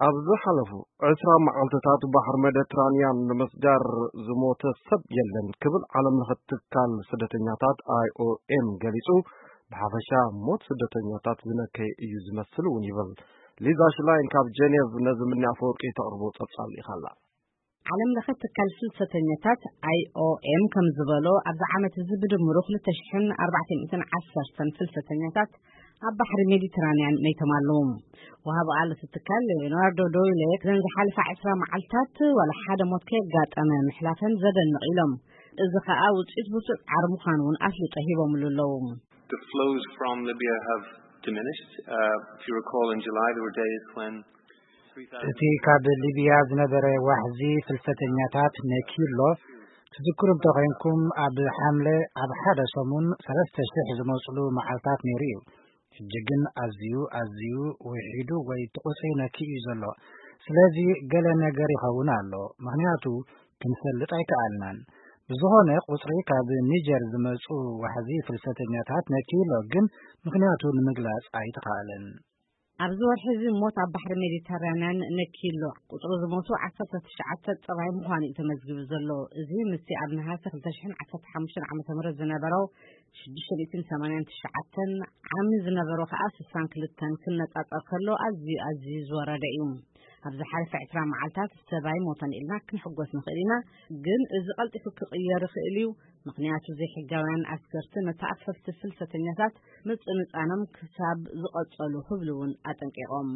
ኣብ ዝሓለፉ ዕስራ መዓልትታት ባሕሪ ሜዲትራንያን ንምስጋር ዝሞተ ሰብ የለን ክብል ዓለም ለኸ ትካል ስደተኛታት ኣይኦኤም ገሊጹ። ብሓፈሻ ሞት ስደተኛታት ዝነከየ እዩ ዝመስል እውን ይብል። ሊዛ ሽላይን ካብ ጀኔቭ ነዚ ምንያ ኣፈወርቂ ተቕርቦ ጸብጻብ ልኢኻላ። ዓለም ለኸ ትካል ፍልሰተኛታት ኣይኦኤም ከም ዝበሎ፣ ኣብዚ ዓመት እዚ ብድምሩ ክልተ ሽሕን ኣርባዕተ ሚእትን ዓሰርተን ፍልሰተኛታት ኣብ ባሕሪ ሜዲትራንያን መይቶም ኣለዉ። ወሃቢ ቃል እቲ ትካል ሌኦናርዶ ዶይሌ፣ እዘን ዝሓለፋ ዕስራ መዓልታት ዋላ ሓደ ሞት ከየጋጠመ ምሕላፈን ዘደንቕ ኢሎም። እዚ ኸኣ ውጽኢት ብርቱዕ ጻዕሪ ምዃኑ እውን ኣፍልጦ ሂቦምሉ ኣለዉ። The flows from Libya have diminished. Uh, if you recall, in July there were days when እቲ ካብ ሊብያ ዝነበረ ዋሕዚ ፍልሰተኛታት ነኪሎ፣ ትዝክሩ እንተኾይንኩም፣ ኣብ ሓምለ ኣብ ሓደ ሰሙን ሰለስተ ሽሕ ዝመጽሉ መዓልታት ነይሩ እዩ። ሕጂ ግን ኣዝዩ፣ ኣዝዩ ውሒዱ ወይ እቲ ቁጽሪ ነኪኡ እዩ ዘሎ። ስለዚ ገለ ነገር ይኸውን ኣሎ፣ ምኽንያቱ ክንፈልጥ ኣይከኣልናን። ብዝኾነ ቁጽሪ ካብ ኒጀር ዝመጹ ዋሕዚ ፍልሰተኛታት ነኪሎ፣ ግን ምኽንያቱ ንምግላጽ ኣይተኻእለን። ኣብዚ ወርሒ እዚ ሞት ኣብ ባሕሪ ሜዲተራንያን ነኪሎ። ቁጽሪ ዝሞቱ ዓሰርተ ትሽዓተ ጥራይ ምዃኑ እዩ ተመዝጊቡ ዘሎ። እዚ ምስቲ ኣብ ነሃሰ ክልተ ሽሕን ዓሰርተ ሓሙሽተን ዓመተ ምህረት ዝነበሮ ሽዱሽተ ሚእትን ሰማንያን ትሽዓተን፣ ዓሚ ዝነበሮ ኸኣ ስሳን ክልተን ክነጻጸር ከሎ ኣዝዩ፣ ኣዝዩ ዝወረደ እዩ። ኣብ ዝሓለፈ ዕስራ መዓልታት ሰብ ኣይሞተን ኢልና ክንሕጎስ ንኽእል ኢና፣ ግን እዚ ቀልጢፉ ክቕየር ይኽእል እዩ። ምኽንያቱ ዘይሕጋውያን ኣስገርቲ ነቲ ኣፈፍቲ ፍልሰተኛታት ምጽንጻኖም ክሳብ ዝቐጸሉ ክብሉ እውን ኣጠንቂቖም።